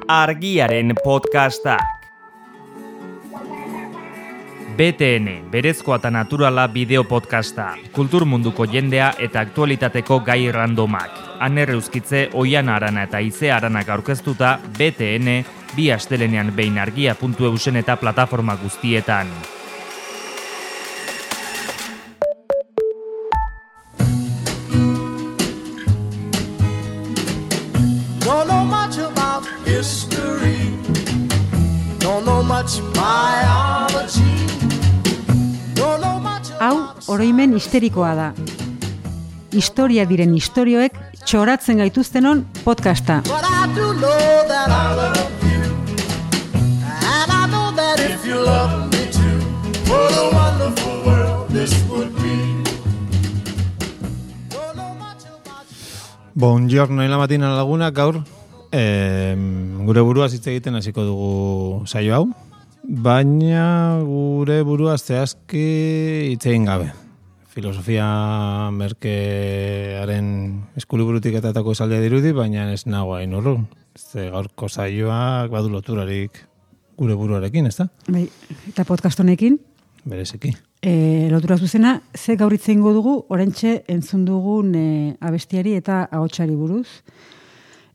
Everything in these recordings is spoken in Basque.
Argiaren podcastak. BTN, berezkoa eta naturala bideo podcasta, kultur munduko jendea eta aktualitateko gai randomak. Aner Euskitze, Oiana Arana eta Ize Aranak aurkeztuta, BTN, bi astelenean behin argia.eusen eta plataforma guztietan. Don't know much about history. Don't know much biology. Don't know much Hau, oroimen histerikoa da. Historia diren istorioek txoratzen gaituztenon podcasta. But I do know that I love you. And I know that if you love me too, what a wonderful world this would be. Don't know much about you. Buongiorno la mattina laguna, gaur gure burua hitz egiten hasiko dugu saio hau, baina gure burua zehazki hitz egin gabe. Filosofia merkearen eskuliburutik etatako esaldia dirudi, baina ez nago hain urrun. Ze gaurko saioak badu loturarik gure buruarekin, ezta? Bai, eta podcast honekin, Bereziki. lotura zuzena, ze gaur hitz egingo dugu, oraintxe entzun dugun abestiari eta ahotsari buruz.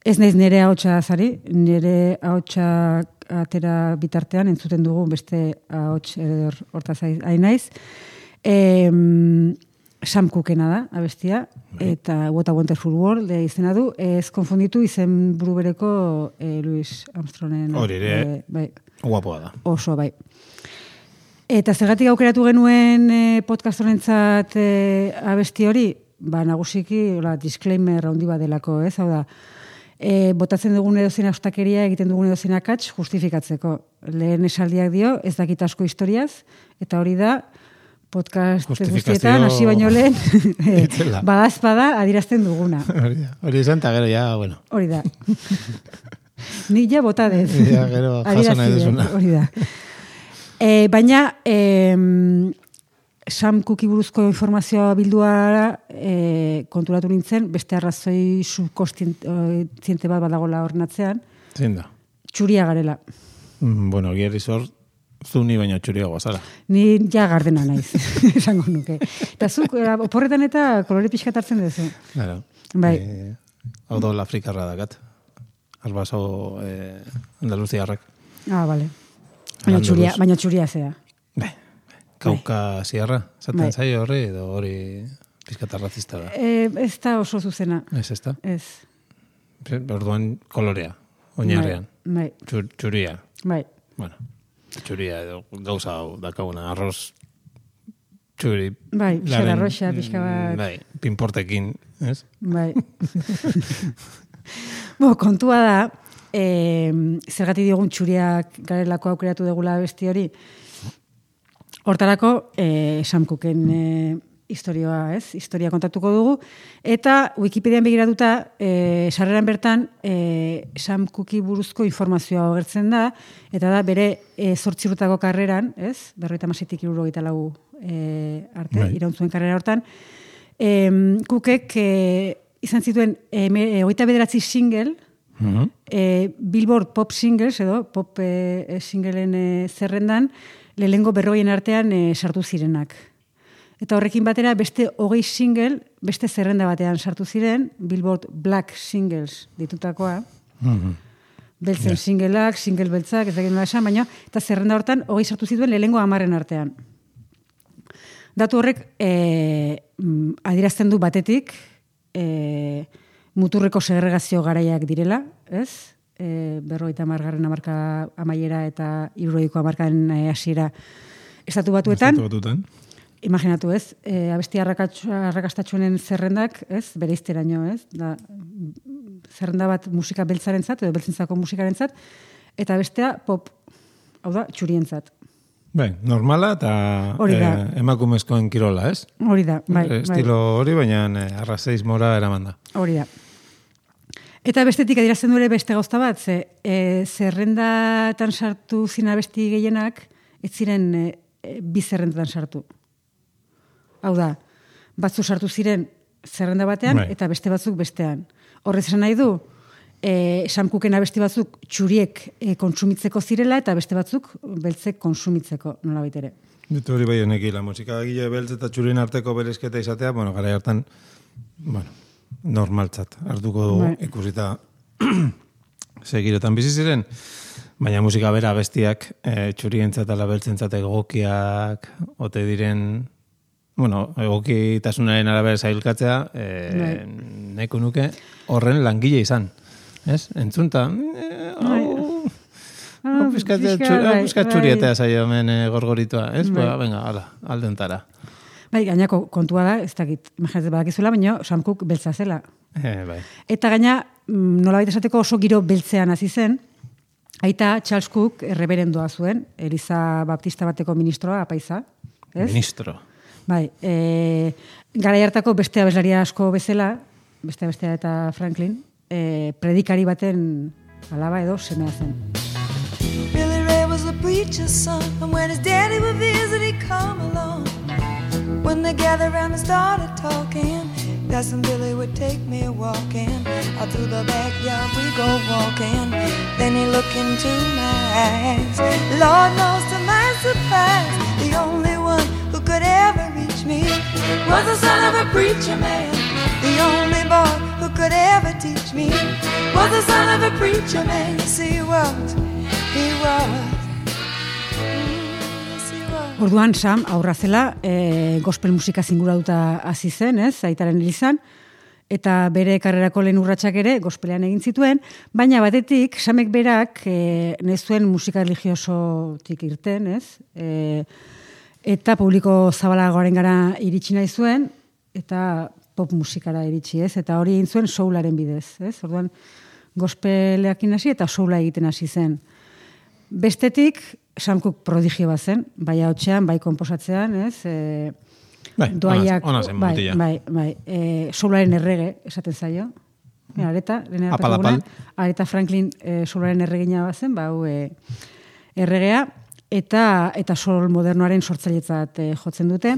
Ez naiz nire ahotsa zari, nire ahotsa atera bitartean entzuten dugu beste ahots hortaz hain naiz. Sam Cookena da, abestia, eta What a Wonderful World izena du, ez konfunditu izen buru bereko Louis Armstrongen. Hori ere, bai, guapoa da. oso, bai. Eta zergatik aukeratu genuen podcast honentzat abesti hori, nagusiki, disclaimer handi badelako, ez, hau da, botatzen dugun edozein austakeria, egiten dugun edozein akats, justifikatzeko. Lehen esaldiak dio, ez dakit asko historiaz, eta hori da, podcast guztietan, hasi baino lehen, badazpada adirazten duguna. Hori izan, eta gero ja, bueno. Hori da. Nik ja botadez. Ja, gero jaso nahi duzuna. Hori da. Baina, Sam Cooki buruzko informazioa bilduara konturatu nintzen, beste arrazoi subkontziente bat badagola hornatzean. Zein da? Txuria garela. Bueno, gierri zor, zuni baina txuriagoa zara. Ni ja gardena naiz, esango nuke. Eta zuk, oporretan eta kolore pixka hartzen duzu. Claro. Bai. Hau dola afrikarra dakat. Albaso andaluziarrak. Bale. Baina txuria zea. Kauka ziarra, zaten zaio horri, edo hori pizkata razista da. Ez da oso zuzena. Ez da? Ez. Orduan kolorea, oinarrean. Bai. Txuria. Bai. Bueno, txuria edo gauza hau dakaguna, arroz txuri. Bai, xera roxa, pixka bat. Bai, pinportekin, ez? Bai. Kontua da, zergatik diogun txuriak garelako aukeratu degula besti hori, hortarako Sam Cooken historia kontatuko dugu, eta Wikipedian begiratuta sarreran bertan Sam Cooki buruzko informazioa agertzen da, eta da bere 8 urteko karreran, ez? 56-tik 74 arte, irauntzuen karrera hortan, Cookek izan zituen 29 single, Billboard Pop Singles, edo pop singleen zerrendan, lehengo 40 artean sartu zirenak. Eta horrekin batera beste 20 single, beste zerrenda batean sartu ziren, Billboard Black Singles ditutakoa. Beltzen singleak, single beltzak, ez da genuen esan, baina, eta zerrenda hortan 20 sartu zituen lehengo 10 artean. Datu horrek adirazten du batetik, muturreko segregazio garaiak direla, ez? 50. hamarka amaiera eta 60. hamarkaren hasiera estatu batuetan. Imaginatu, ez? Abesti arrakastatsuenen zerrendak, ez? Bereizteraino, ez? Da, zerrenda bat musika beltzarentzat edo beltzentzako musikarentzat, eta bestea pop, hau da, txurientzat. Bai, normala eta emakumezkoen kirola, ez? Hori da, bai. Estilo hori, baina arrazeismora eraman da. Hori da. Eta bestetik adirazten du ere beste gauza bat, zerrendatan sartu zina abesti gehienak, ez ziren bi zerrendatan sartu. Hau da, batzu sartu ziren zerrenda batean, eta beste batzuk bestean. Horrez esan nahi du, Sam Cooken abesti batzuk txuriek kontsumitzeko zirela eta beste batzuk beltzek konsumitzeko nolabait ere. Dut hori bai honekila, musika gile beltz eta txurien arteko berezketa izatea, bueno, gara hartan, bueno, normaltzat, hartuko dugu ikusita segirotan bizi ziren, baina musika bera abestiak txurientzat ala beltzentzat egokiak ote diren, bueno, egokitasunaren arabera zailkatzea, nahiko nuke horren langile izan. Ez? Entzunta, Piskat txurietea zaio hemen gorgoritua, ez? Venga, ala, aldentara. Bai, gainako kontua da, ez dakit, imaginatzen badakizuela, baina Sam Cooke beltza zela. Bai. Eta gaina, nolabait esateko oso giro beltzean hasi zen, aita Charles Cooke erreberendoa zuen, Eliza Baptista bateko ministroa, apaiza. Ez? Ministro. Bai, garai hartako beste abeslaria asko bezala, beste eta Franklin, predikari baten alaba edo semea zen. Billy Ray was a preacher's son, and when his daddy would visit, he'd come along. When they gathered around and started talking, Cousin Billy would take me walking. Out through the backyard we go walking. Then he looked into my eyes. Lord knows to my surprise, the only one who could ever reach me was the son of a preacher man. The only boy who could ever teach me was the son of a preacher man. Yes, he was. Orduan Sam aurra zela, gospel musika zinguratuta hasi zen, ez, aitaren elizan, eta bere karrerako lehen urratsak ere gospelean egin zituen, baina batetik Samek berak nahi zuen musika religiosotik irten, ez, eta publiko zabalagoaren gara iritsi nahi zuen, eta pop musikara iritsi, ez, eta hori egin zuen soularen bidez, ez, orduan gospeleakin hasi eta soula egiten hasi zen. Bestetik, Sam Cooke prodigio bat zen, bai hautsean, bai konposatzean, ez? Doaiak, ona zen mutila. Bai, soularen errege, esaten zaio. Areta, Areta Franklin soularen erregina bat zen, hau erregea, eta soul modernoaren sortzailetzat jotzen dute.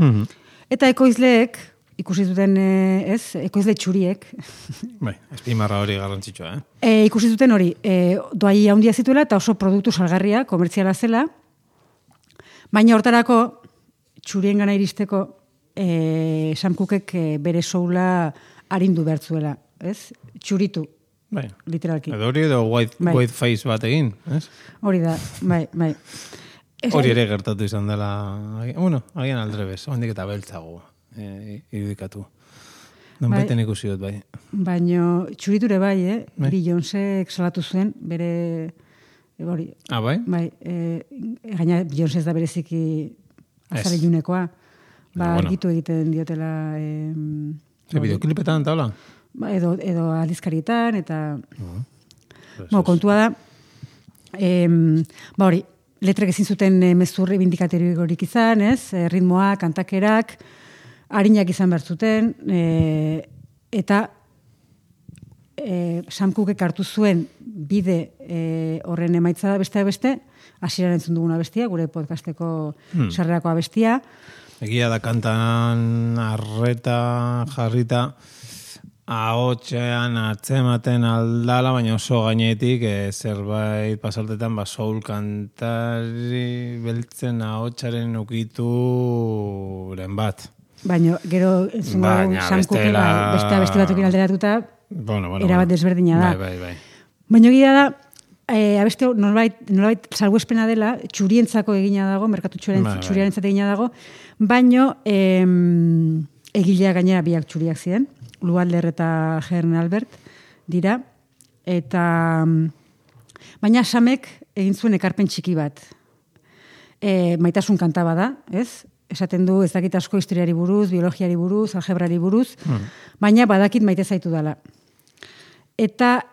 Eta ekoizleek, ikusi zuten, ekoizle txuriek. Bai, espimarra hori garrantzitsua, ikusi zuten hori, doai handia zituela eta oso produktu salgarria, komertziala zela, baina hortarako txurien gana iristeko Sam Cookek bere soula arindu bertzuela, ez? Txuritu, bai. Literalki. Edo hori edo white face bat egin, ez? Hori da, bai. Hori ere gertatu izan dela, bueno, agian aldrebez, hondik eta beltzago. Irudikatu. Nonbaiten ikusi dut, bai. Baina txuriture bai, Beyoncék salatu zuen, bere hori. Ah, bai? Bai, gaina Beyoncé ez da bereziki azale junekoa. Argitu egiten diotela... Bideoklipetan taula? Edo aldizkarietan, eta... kontua da, hori, letrek ezin zuten mezurri bindikatoriorik izan, ez? Ritmoa, kantakerak, harinak izan behar zuten, eta Sam Cookek hartu zuen bide horren emaitza da beste, hasieran entzun duguna bestia, gure podcasteko sarrerako abestia. Egia da kantan arreta jarrita, ahotsean atzematen aldala, baina oso gainetik zerbait pasaltetan soul kantari beltzen ahotsaren ukituren bat. Baina gero Sam Cooke beste abesti batukin alderatuta erabat desberdina da. Bai. Baina egia da, abesti nolabait salbuespena dela, txurientzako egina dago, merkatu txuriarentzat egina dago, baina egilea gainera biak txuriak ziren, Lualder eta Hern Albert dira, eta baina Samek egin zuen ekarpen txiki bat. Maitasun kanta bada, ez? Esaten du ez dakit asko historiari buruz, biologiari buruz, algebrari buruz, baina badakit maite zaitu dela. Eta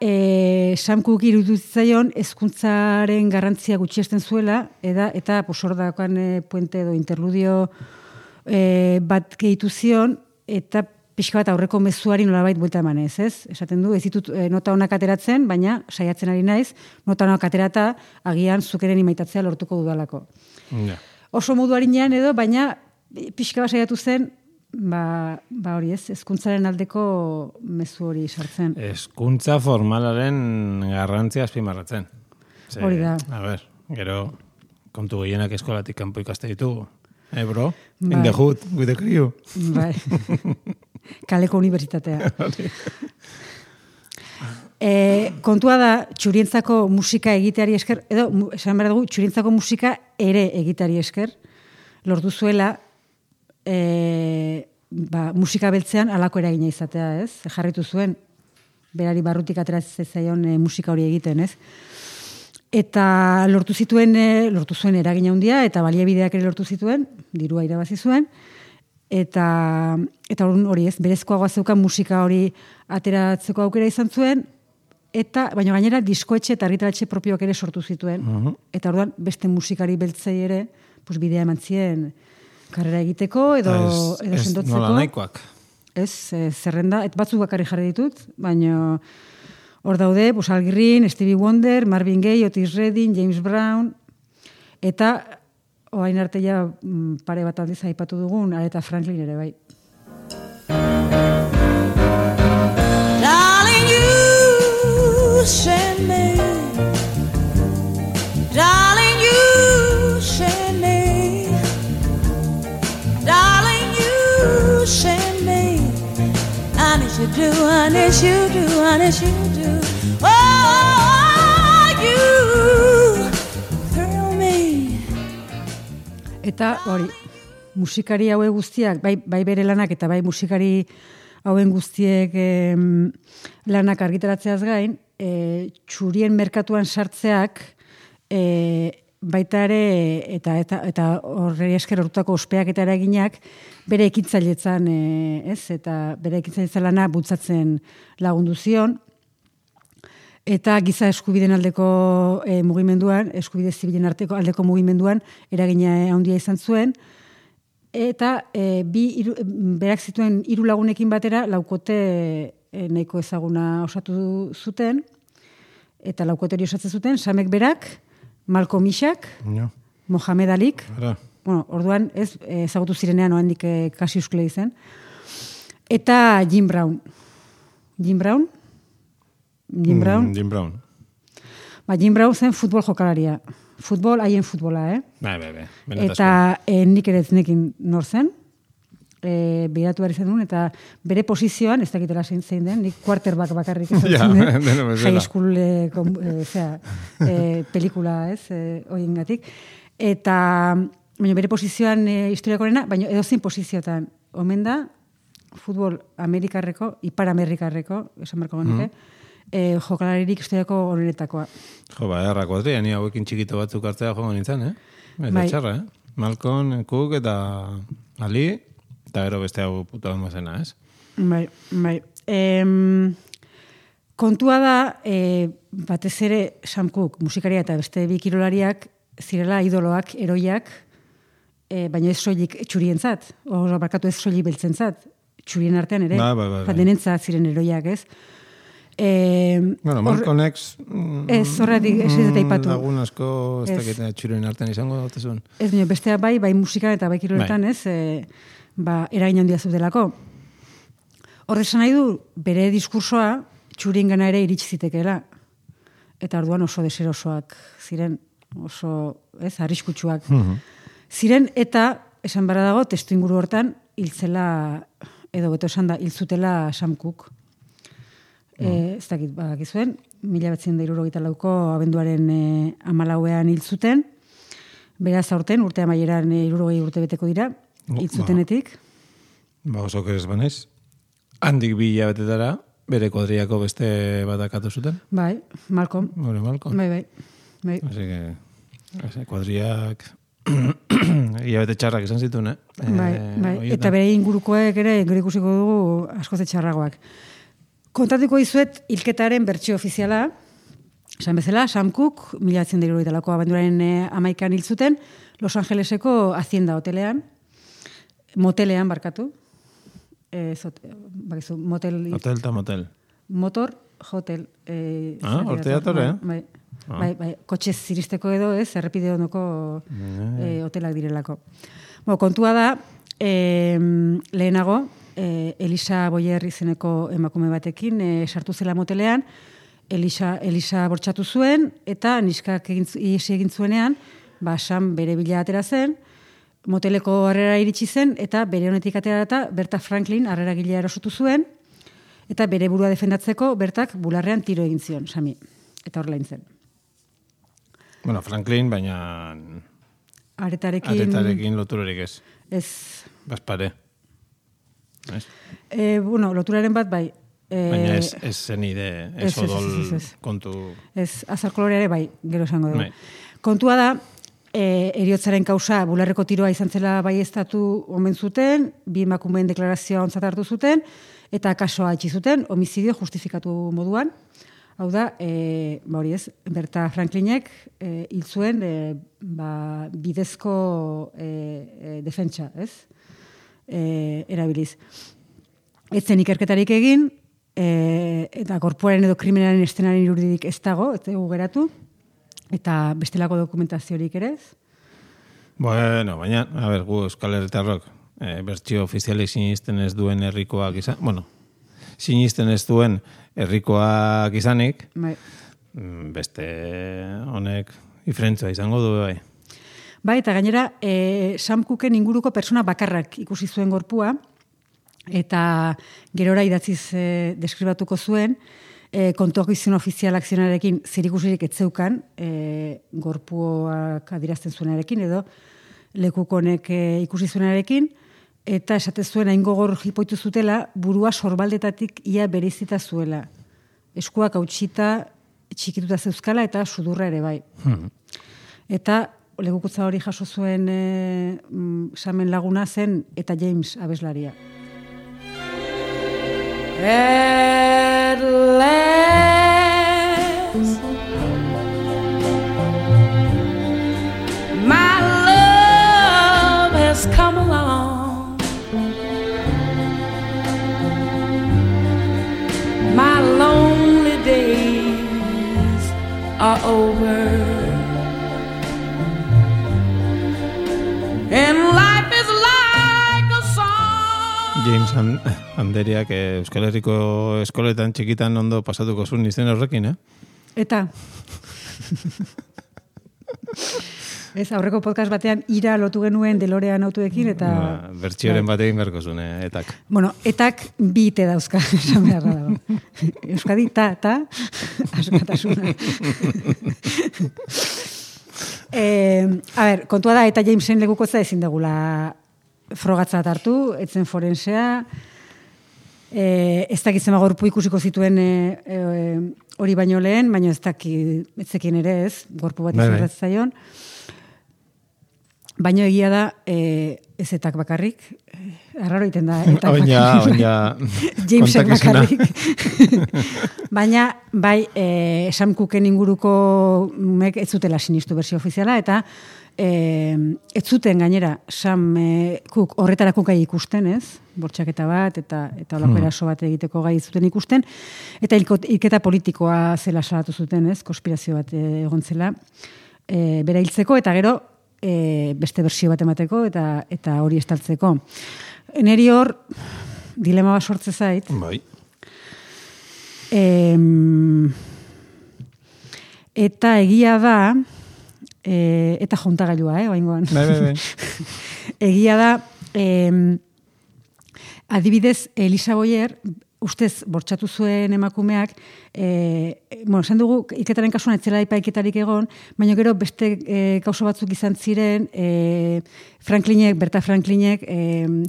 Sam Cooke iruditzaion hezkuntzaren garrantzia gutxiesten zuela, eta posordakoan puente edo interludio bat gehitu zion, eta pixka bat aurreko mezuari nolabait buelta emanez, ez? Esaten du, ez ditut nota honak ateratzen, baina saiatzen ari naiz, nota honak aterata agian zukeren imaitatzea lortuko dudalako. Oso modu harinean edo, baina pixka bat saiatu zen hori ez, hezkuntzaren aldeko mezu hori sartzen. Hezkuntza formalaren garrantzia azpimarratzen. Hori da. A ber, gero kontu gehienak eskolatik kanpo ikaste ditugu. Bro? In the hood, with the crew. Bai. Kaleko unibertsitatea. Kontua da, txurientzako musika egiteari esker, edo, esan behar dugu, txurientzako musika ere egiteari esker, lortu zuela musika beltzean alako eragina izatea, ez? Jarritu zuen, berari barrutik ateratzen zaion musika hori egiten, ez? Eta lortu zuen eragina handia eta baliabideak ere lortu zituen, dirua irabazi zuen, eta hori ez, berezkoagoa zeukan musika hori ateratzeko aukera izan zuen, baina gainera diskoetxe eta argitaratxe propioak ere sortu zituen. Eta orduan beste musikari beltzei ere bidea eman zien karrera egiteko edo sendotzeko. Nola nahikoak. Ez, zerrenda, batzuk bakarri jarri ditut, baina hor daude, Al Green, Stevie Wonder, Marvin Gaye, Otis Redding, James Brown, eta orain arte ja pare bat aldiz aipatu dugun, Aretha Franklin ere bai. Darling, you send me. Darling, you send me. Darling, you send me. I need you do, I need you do, I need you do. Oh, you thrill me. Eta hori, musikari haue guztiak, bai bere lanak eta bai musikari hauen guztiek lanak argitaratzeaz gain, txurien merkatuan sartzeak baita ere eta horri esker horretako ospeak eta eraginak bere ekintzailetzan, eta bere ekintzailetzan lana bultzatzen lagundu zion, eta giza eskubideen aldeko mugimenduan, eskubide zibilen aldeko mugimenduan eragina handia izan zuen, eta berak zituen 3 lagunekin batera laukote nahiko ezaguna osatu zuten, eta laukote hori osatzen zuten, Samek berak, Malcolm Ishak, Mohamed Alik, orduan ezagutu zirenean oandik Cassius Clay zen, eta Jim Brown. Jim Brown? Jim Brown zen futbol jokalaria. Haien futbola, Eta nik ere eznekin nor zen, behiratu behar izan duen, eta bere posizioan, ez dakitela zein den, nik quarterback bakarrik ezagutzen den, high school pelikula, horien gatik. Eta, baina bere posizioan historiakorena, baina edozein posizioetan, omen da, futbol amerikarreko, ipar amerikarreko, esan barko genuke, jokalaririk historiako honenetakoa. Erra kuadria, ni hauekin txikito batzuk hartzea joan nintzen, Eta txarra, Malcolm, Cook eta Ali, eta gero beste hau puto almazena, ez? Bai. Kontua da, batez ere Sam Cooke, musikaria eta beste bi kirolariak, zirela idoloak, eroiak, baina ez soilik txurientzat, barkatu ez soilik beltzentzat, txurien artean ere, denentzat ziren eroiak, ez? Malcolm X horretik ez dut aipatu. Lagun asko ez dakit txurien artean izango dautezun. Ez, bestea bai musikan eta bai kiroletan, ez, eragin handia zudelako. Horre esan nahi du, bere diskursoa txurien gana ere iritsi zitekeela. Eta orduan oso deserosoak ziren, oso, arriskutsuak. Ziren, eta, esan bara dago, testu inguru hortan, hiltzela, edo beto esan da, hiltzutela Sam Cooke. Ez dakit, badakizuen, 1974ko abenduaren 14ean hiltzuten, beraz aurten, urte amaieran 60 urte beteko dira, hiltzutenetik. Oso kerez banaiz. Handik 2 hilabetetara, bere kuadriako beste batakatu zuten. Bai, Malcolm. Bai. Así que, kuadriak hilabete txarrak izan zituen, Bai. Eta bere ingurukoek ere, gero ikusiko dugu askoze txarragoak. Kontatuko izuet hilketaren bertsio ofiziala, esan bezala, Sam Cooke, 1970ko abenduraren 11ean hiltzuten, Los Angeleseko Hacienda hotelean, motelean barkatu, motel... Hotel eta motel. Motor, hotel. Horte datore, Bai, kotxez ziristeko edo, errepide ondoko hotelak direlako. Kontua da, lehenago, Elisa Boyer izeneko emakume batekin sartu zela motelean, Elisa bortxatu zuen, eta niskak egin zuenean, Sam bere bila atera zen, moteleko harrera iritsi zen, eta bere honetik atera eta Berta Franklin harrera gilea erosotu zuen, eta bere burua defendatzeko Bertak bularrean tiro egin zion, Sami. Eta horrela zen. Bueno, Franklin, baina... Aretarekin loturarik ez. Ez. Baspare. Bueno, loturaren bat, bai. Baina ez zenide, ez odol kontu... Ez, azalkoloreare, bai, gero esango dugu. Kontua da, eriotzaren kausa bularreko tiroa izan zela bai estatu omen zuten, bi emakumeen deklarazioa ontzat hartu zuten, eta kasoa itxi zuten, homizidio justifikatu moduan. Hau da, hori ez, Berta Franklinek hil zuen bidezko defentsa, ez? Erabiliz. Etzen ikerketarik egin, eta korpoaren edo kriminalen estenaren irudirik ez dago, ez dugu geratu, eta bestelako dokumentaziorik ere ez? Bueno, baina, a ber, gu Euskal Herritarrok, bertsio ofizialik sinisten ez duen herrikoak izan, bueno, sinisten ez duen herrikoak izanik, beste honek diferentzia izango du, bai. Bai, eta gainera, Sam Cooken inguruko persona bakarrak ikusi zuen gorpua, eta gerora idatziz deskribatuko zuen, kontuakizun ofizial akzionarekin zerikusirik etzeukan, gorpuak adirazten zuenarekin, edo lekukonek ikusi zuenarekin, eta esate zuen hain gogor jipoitu zutela, burua sorbaldetatik ia bereizita zuela. Eskuak hautsita, txikituta zeuzkala, eta sudurra ere bai. Eta lekukutza hori jaso zuen Samen laguna zen, eta James abeslaria. At last, my love has come along. My lonely days are over, and life is like a song. James Anderiak Euskal Herriko eskoletan txikitan ondo pasatuko zuen izen horrekin, Eta... Ez, aurreko podcast batean ira lotu genuen DeLorean autoekin, eta... Bertsioren batekin berko zuen, etak. Bueno, etak bi ite dauzka, esan beharra dago. Euskadi, ta, askatasuna. A ber, kontua da, eta Jamesen lekukotza ezin degula frogatzat hartu, etzen forensea, ez dakitzen gorpu ikusiko zituen hori baino lehen, baina ez dakitzekin ere ez, gorpu bat izurretz zaion. Baina egia da, ez etak bakarrik, arraro iten da, etak bakarrik. Jamesek bakarrik. Baina, bai, Sam Cooken inguruko mek ez zutela sinistu bersio ofiziala, eta ez zuten gainera Sam Cook horretarako gai ikusten, ez? Bortxaketa bat, eta olako eraso bat egiteko gai zuten ikusten, eta hilketa politikoa zela salatu zuten, ez? Konspirazio bat egon zela, bera hiltzeko, eta gero, beste bersio bat emateko eta hori estaltzeko. Neri hor dilema bat sortze zait. Bai. Eta egia da eta jontagailua, oaingoan. Bai. Egia da adibidez Elisa Boyer ustez bortxatu zuen emakumeak, esan dugu, iketaren kasuan etzela epaiketarik egon, baina gero beste kauso batzuk izan ziren, Berta Franklinek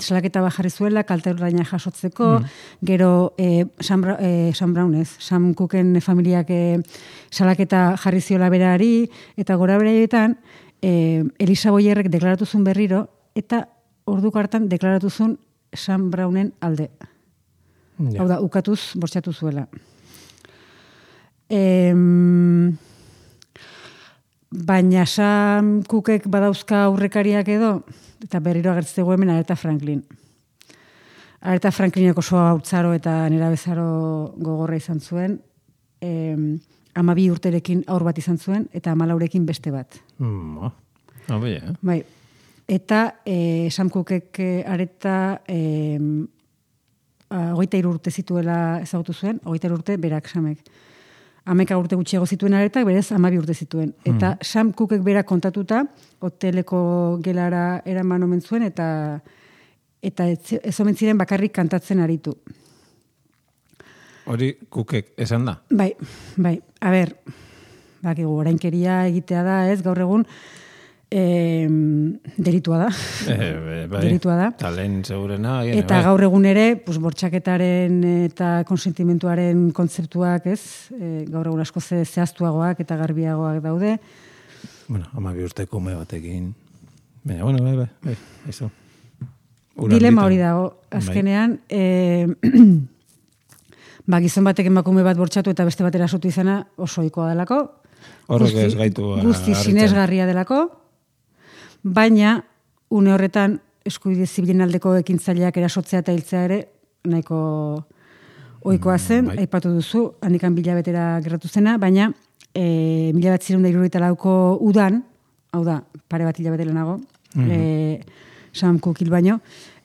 salaketa bat jarri zuela, kalte ordaina jasotzeko, gero Sam Cooken familiak salaketa jarri ziola berari, eta gora beraietan, Elisa Boyerrek deklaratu zuen berriro, eta orduko hartan deklaratu zuen Sam Brownen alde. Ja. Hau da, ukatuz, bortxatu zuela. Baina Sam Cookek badauzka aurrekariak edo, eta berriro agertzegu hemen Aretha Franklin. Aretha Franklinek oso hautzaro eta nerabezaro gogorra izan zuen, 12 urterekin aur bat izan zuen, eta 14 beste bat. Bai. Bai. eta Sam Cookek areta 23 urte zituela ezagutu zuen, 23 urte berak Samek. 11 urte gutxiago zituen aretak, berez 12 urte zituen. Eta Sam Cookek berak kontatuta, hoteleko gelara eraman omen zuen, eta ez omen ziren bakarrik kantatzen aritu. Hori Cookek esan da? Bai. A ber, bakigu, orainkeria egitea da, ez, gaur egun, delitua da. Bai, delitua da. Talen segurena. Eta gaur egun ere, bortxaketaren eta konsentimentuaren kontzeptuak, ez, gaur egun asko zehaztuagoak eta garbiagoak daude. Bueno, 12 urteko ume batekin. Baina, bueno, bai, eso. Dilema hori dago, azkenean, gizon batek emakume bat bortxatu eta beste batera sotu izana oso ohikoa delako. Horrek ez gaitu guzti sinesgarria delako, baina une horretan eskubide zibilen aldeko ekintzaileak erasotzea eta hiltzea ere nahiko ohikoa zen, aipatu duzu, handikan 1000 betera gerratu zena, baina 1974ko udan, hau da, pare bat hilabete lehenago, Sam Cooke hil baino,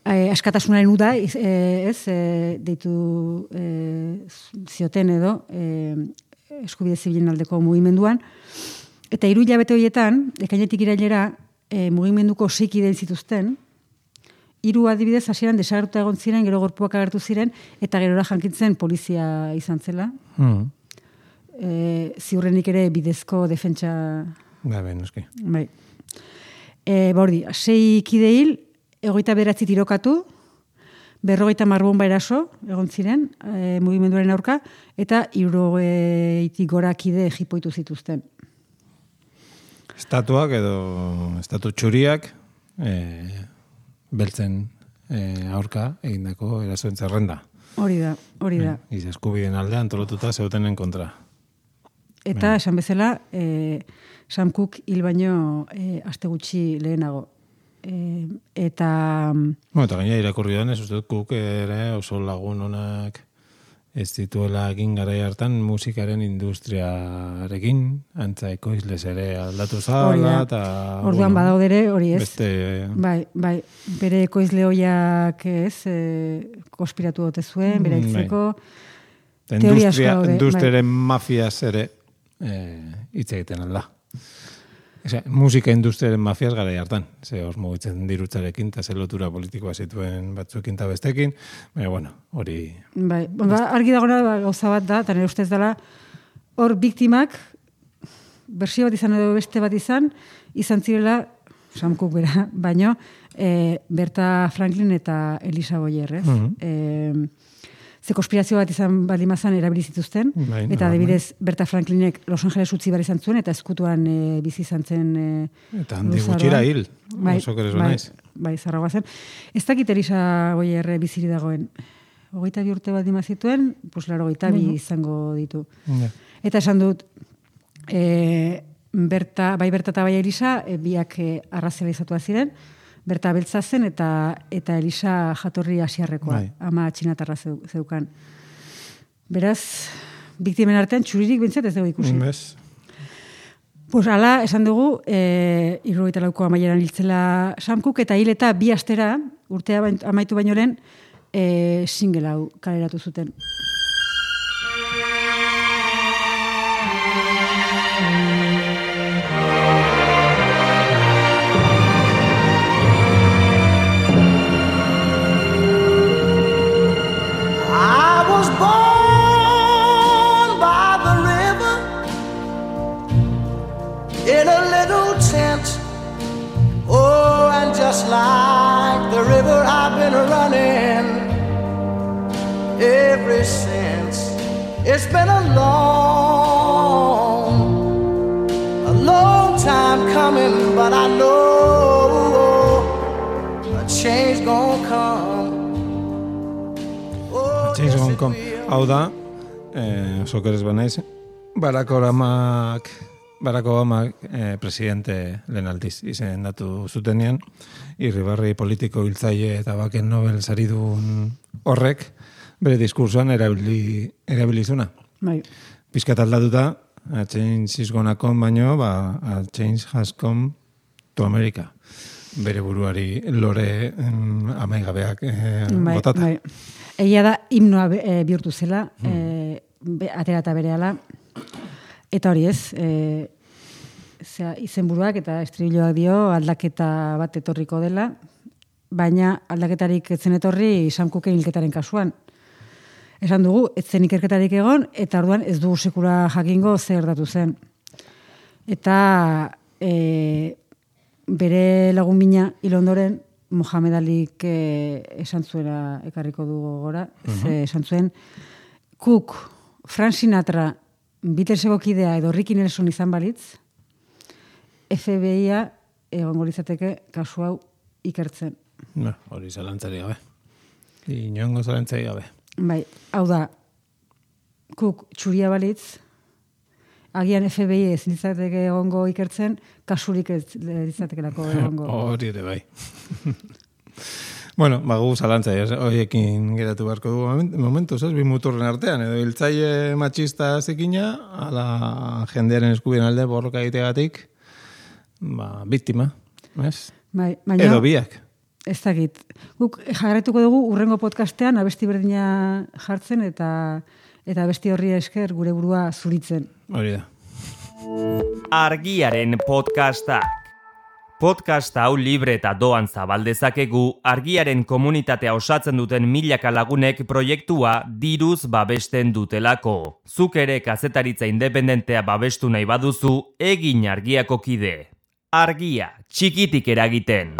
askatasunaren uda, deitu zioten edo, eskubide zibilen aldeko mugimenduan, eta 3 hilabete horietan, ekainetik irailera, mugimenduko 6 kide zituzten, 3 adibidez hasieran desagertuta egon ziren, gero gorpuak agertu ziren, eta gerora jankitzen polizia izan zela. Ziurrenik ere bidezko defentsa... Bai, noski. Bai. Bordi, 6 kide hil, 29 tirokatu, 50 bomba eraso, egon ziren, mugimenduaren aurka, eta 60 gora kide jipoitu zituzten. Estatuak edo estatu txuriak beltzen aurka egindako erasoen zerrenda. Hori da. Giza eskubideen aldean antolatuta zeutenen kontra. Eta esan bezala, Sam Cooke hil baino aste gutxi lehenago. Eta gaina irakurri denez, uste dut Cook ere oso lagun onak ez dituela egin garai hartan musikaren industriarekin, antza ekoizlez ere aldatu zala, eta... Orduan badaude ere, hori ez. Beste... Bai, bere ekoizle hoiak ez, konspiratu dote zuen, bere itzeko... Industriaren mafiaz ere hitz egiten alda. Musika industriaren mafiaz gara hartan. Ze hor mugitzen dirutzarekin, eta ze lotura politikoa zituen batzuekin eta bestekin. Baina, bueno, hori... Bai, argi dagona gauza bat da, eta nire ustez dela, hor biktimak, bersio bat izan edo beste bat izan zirela, Sam Cooke bera, baino, Berta Franklin eta Elisa Boyer, ez? Ze konspirazio bat izan balimazan erabilizituzten, eta adibidez Berta Franklinek Los Angeles utzi behar izan zuen, eta eskutuan bizi izan zen... Eta handi gutxira hil, oso keres banaiz. Bai, zarragoa zen. Ez dakit Elisa Boyer biziri dagoen. 22 urte bat dimazituen, pues 82 izango ditu. Eta esan dut, Berta eta bai Elisa, biak arrazionalizatua ziren, Berta beltza zen eta Elisa jatorri asiarrekoa, ama txinatarra zeukan. Beraz, biktimen artean txuririk bintzat ez dugu ikusi. Pues ala, esan dugu, 74ko amaieran hiltzela Sam Cooke, eta hil eta 2 astera, urtea amaitu baino lehen, single hau kaleratu zuten. In a little tent, oh, and just like the river I've been running ever since. It's been a long time coming, but I know a change gonna come. A change gonna come. Hau da, oso keres banaiz, Barack Obama presidente lehen aldiz izendatu zutenean, irribarri politiko hiltzaile eta baken Nobel saridun horrek bere diskursoan erabilizuna. Pizkat aldatuta, a change is gonna come baino, a change has come to America. bere buruari lore amaigabeak botata. Bai. Egia da himnoa bihurtu zela, atera eta berehala. Eta hori ez, izenburuak eta estribilloak dio aldaketa bat etorriko dela, baina aldaketarik etzen etorri Sam Cooken hilketaren kasuan. Esan dugu, etzen ikerketarik egon, eta orduan ez dugu sekula jakingo zer gertatu zen. Eta bere lagun mina hil ondoren, Mohamed Alik esan zuera ekarriko dugu gora, esan zuen, Cook, Frank Sinatra, Beatleseko kidea edo Ricky Nelson izan balitz, FBI-a egongo litzateke kasu hau ikertzen. Hori zalantzari gabe. Inoengo zalantzari gabe. Bai, hau da, Cook txuria balitz, agian FBI ez litzateke egongo ikertzen, kasurik ez litzatekelako egongo. Hori ere bai. Bueno, gu zalantza, horiekin geratu beharko dugu momentuz, bi muturren artean, edo hiltzaile matxista zikina, ala jendearen eskubien alde borroka egitegatik, biktima, ez? Bai, baina, edo biak. Ez dakit. Guk jarraituko dugu urrengo podcastean abesti berdina jartzen eta abesti horri esker gure burua zuritzen. Hori da. Argiaren podcastak. Podcast hau libre eta doan zabaldezakegu Argiaren komunitatea osatzen duten milaka lagunek proiektua diruz babesten dutelako. Zuk ere kazetaritza independentea babestu nahi baduzu, egin Argiako kide. Argia, txikitik eragiten.